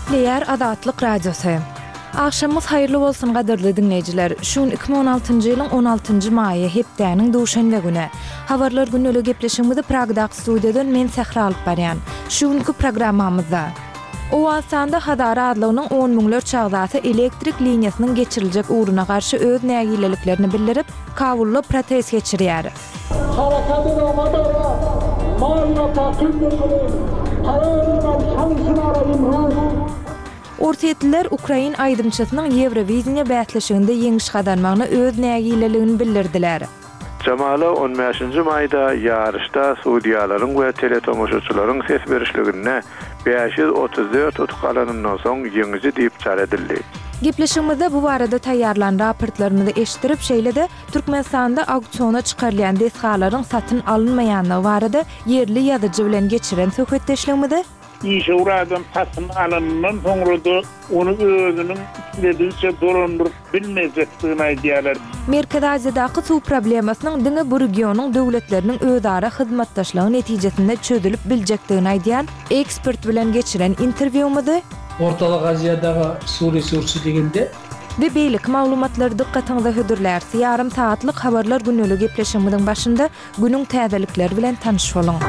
Gepleýär Azatlyk Radiosy. Agşamyňyz haýyrly bolsun gadyrly diňleýjiler. Şu gün 2016-njy ýylyň 16-njy maýy, hepdäniň duşenbe güni. Habarlar gündeli gepleşigimizi Pragdaky studiýadan men Sähra alyp barýan. Şu günki programmamyzda. Owganystanda Hazara azlygynyň on müňlerçe agzasy elektrik liniýasynyň geçiriljek ugruna garşy öz nägileliklerini bildirip, Kabulda protest geçirýär. Harakat edama dara, mal taqib mekunim, qaror man şamsyn ara imruz. Orsýetliler ukrain aýdymçysynyň Ýewrowideniýe bäsleşiginde ýeňiş gazanmagyna öz nägileligini bildirdiler. Jamala on bäşinji maýda ýaryşda sudýalaryň we teletomaşaçylaryň ses berişliginde 534 utuk alanyndan soň ýeňiji diýip jar edildi. Gepleşigimizde bu barada taýýarlan raportlarymyzy eşitdirip, şeýle-de Türkmenistanda auksiona çykarylýan desgalaryň satyn alynmaýanlygy barada ýerli ýazyjy bilen geçiren söhbetdeşligimizi, Işewür adam satyn alanyndan soňra-da ony özüniň isledigiçe dolandyryp bilmejekdigini aýdýarlar. Merkezi Aziýadaky suw problemasynyň diňe bu regionyň döwletleriniň özara hyzmatdaşlygy netijesinde çözülip biljekdigini aýdýan ekspert bilen geçiren interwýumyzy, Ortalyk Aziýadagy suw resursy degende. We beýleki maglumatlary dykgatyňyza hödürläris. Ýarym sagatlyk Habarlar günüli gepleşigimiziň başynda Günüň täzelikleri bilen tanyş boluň!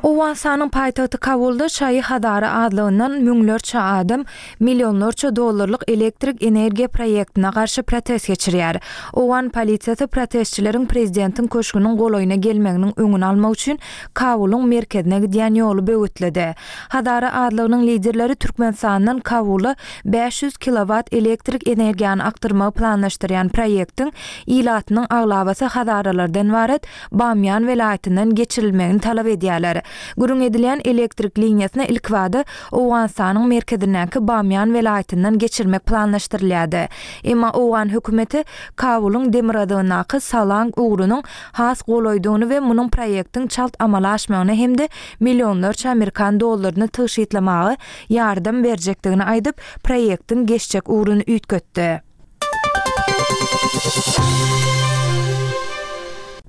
Owganystanyň paýtagty Kabulda şaýy Hazara azlygyndan müňlerçe adam millionlarça dollarlyk elektrik energiýa proýektine garşy protest geçirýär. Owgan polisiýasy protestçileriň prezidentiň köşgüniň golaýyna gelmeginiň öňüni almak üçin Kabulyň merkezine gidýän ýoly böwetledi. Hazara azlygynyň liderleri Türkmenistandan Kabula 500 kilowat elektrik energiýany akdyrmagy planlaşdyrýan proýektiň ilatynyň aglabasy hazaralardan ybarat Bamýan welaýatyndan geçirilmegini talap edýärler. Gürrüň edilýän elektrik liniýasyny ilkibada Owganystanyň merkezindäki Bamýan welaýatyndan geçirmek planlaşdyrylýardy. Emma owgan hökümeti Kabulyň demirgazygyndaky Salang ugrunyň has golaýdygyny we munuň proýektiň çalt amala aşmagyna hem-de millionlarça amerikan dollaryny tygşytlamaga ýardam berjekdigini aýdyp, proýektiň geçjek ugruny üýtgetdi.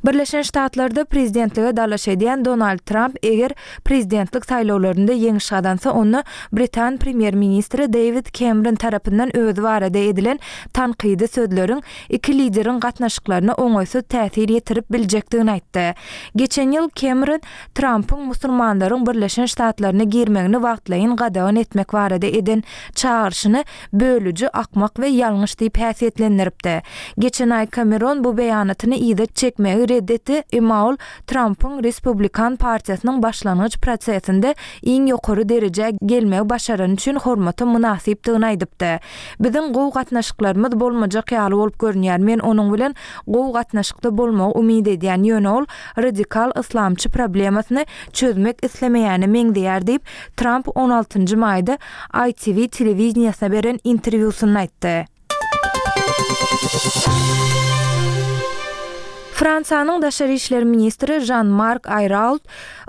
Birleşen Ştatlarda prezidentlige dalaş edýän Donald Tramp eger prezidentlik saýlawlarynda ýeňiş gazansa, onda britan premýer-ministri Deýwid Kemron tarapyndan özi barada edilen tankydy sözleriň iki lideriň gatnaşyklaryna oňaýsyz täsir ýetirip biljekdigini aýtdy. Geçen ýyl Kemron Trampyň musulmanlaryň Birleşen Ştatlaryna girmegini wagtlaýyn gadagan etmek barada eden çagyryşyny bölüji, akmak we ýalňyş diýip häsiýetlendiripdi. Geçen aý Kameron bu beýanatyny yza çekmegi red etdi, emma ol Trampyň Respublikan partiýasynyň başlangyç prosesinde iň ýokary derejä gelmegi başarany üçin hormata mynasypdygyny aýdypdy. Biziň gowy gatnaşyklarymyz bolmajak ýaly bolup görünýär, men onuň bilen gowy gatnaşykda bolmagy umyt edýän, ýöne ol radikal yslamçy problemasyny çözmek islemeýäne meňzeýär diýip, Tramp on altynjy maýda ITV telewideniýesine beren interwýusynda aýtdy. Fransiýanyň daşary işler ministri Žan-Mark Aýrault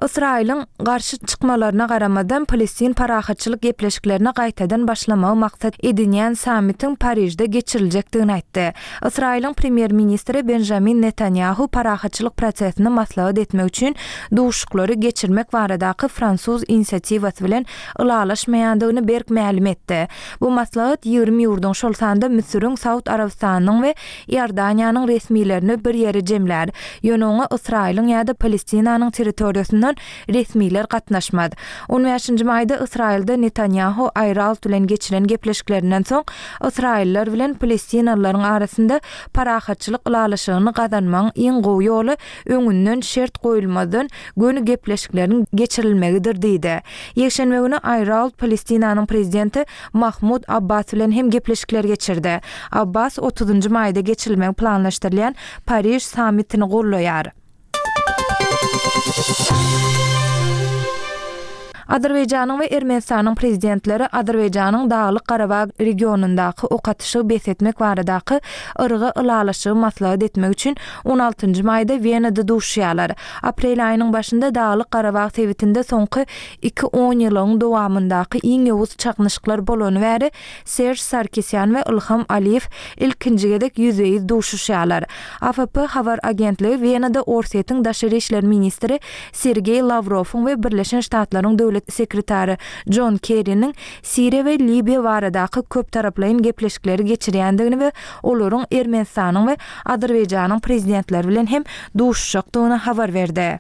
Ysraýylyň garşy çykmalaryna garamazdan, palestin parahatçylyk gepleşiklerine gaýtadan başlamagy maksat edinýän sammitiň Parižde geçiriljekdigini aýtdy. Ysraýylyň premýer-ministri Benjamin Netanýahu parahatçylyk prosesini maslahat etmek üçin duşuşyklary geçirmek baradaky fransuz inisiatiwasy bilen ylalaşmaýandygyny berk mälim etdi. Bu maslahat 20 ýurduň, şol sanda Müsüriň, Saud Arabystanynyň we Iordaniýanyň resmilerini bir ýere jemlär. Ýöne oňa Ysraýylyň ýa-da Palestinanyň territoriýasyndan resmiler gatnaşmaz. On bäşinji maýda Ysraýylda Netanýahu Aýrault bilen geçiren gepleşiklerinden soň, ysraýyllar bilen palestinalylaryň arasynda parahatçylyk ylalaşygyny gazanmagyň iň gowy ýoly öňünden şert goýulmazdan göni gepleşikleriň geçirilmegidir diýdi. Ýekşenbe güni Aýrault Palestinanyň prezidenti Mahmud Abbas bilen hem gepleşikler geçirdi. Abbas otuzynjy maýda geçirilmegi planlaşdyrylýan Pariž sammitini gollaýar. Azerbaýjanyň we Ermenistanyň prezidentleri Azerbaýjanyň Daglyk-Garabag regionyndaky ok atyşygy bes etmek baradaky yrga ylalaşygy maslahat etmek üçin on altynjy maýda Wenada duşuşýarlar. Aprel aýynyň başynda Daglyk-Garabag sebitinde soňky iki onýylygyň dowamyndaky iň ýowuz çaknyşyklar bolany bäri Serž Sarkisýan we Ylham Aliýew ilkinji gezek ýüzbe-ýüz duşuşýarlar. AFP habar agentligi Wenada Orsýetiň daşary işler ministri Sergeý Lawrowyň we Birleşen Ştatlaryň döwlet sekretary Jon Kerriniň Siriýa we Liwiýa baradaky köptaraplaýyn gepleşikleri geçirýändigini we olaryň Ermenistanyň we Azerbaýjanyň prezidentleri bilen hem duşuşjakdygyny habar berdi.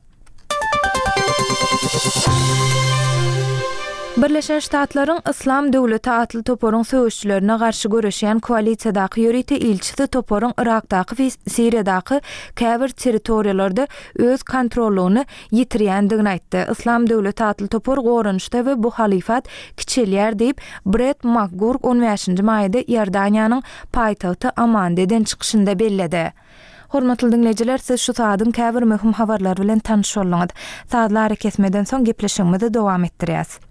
Birleşen Ştatlaryň Yslam döwleti atly toparyň söweşçilerine garşy göreşýän koalisiýadaky ýörite ilçisi toparyň Yrakdaky we Siriýadaky käbir territoriýalarda öz kontrollygyny ýitirýändigini aýtdy. Yslam döwleti atly topar goranyşda we bu halyfat kiçelýär diýip, Bret Makgurk on bäşinji maýda Iordaniýanyň paýtagty Amanda eden çykyşynda belledi. Hormatly diňleýjiler, siz şu saadyň käbir möhüm habarlary bilen tanyş bolduňyz. Sazly arakesmeden soň gepleşigimizi dowam etdirýäs.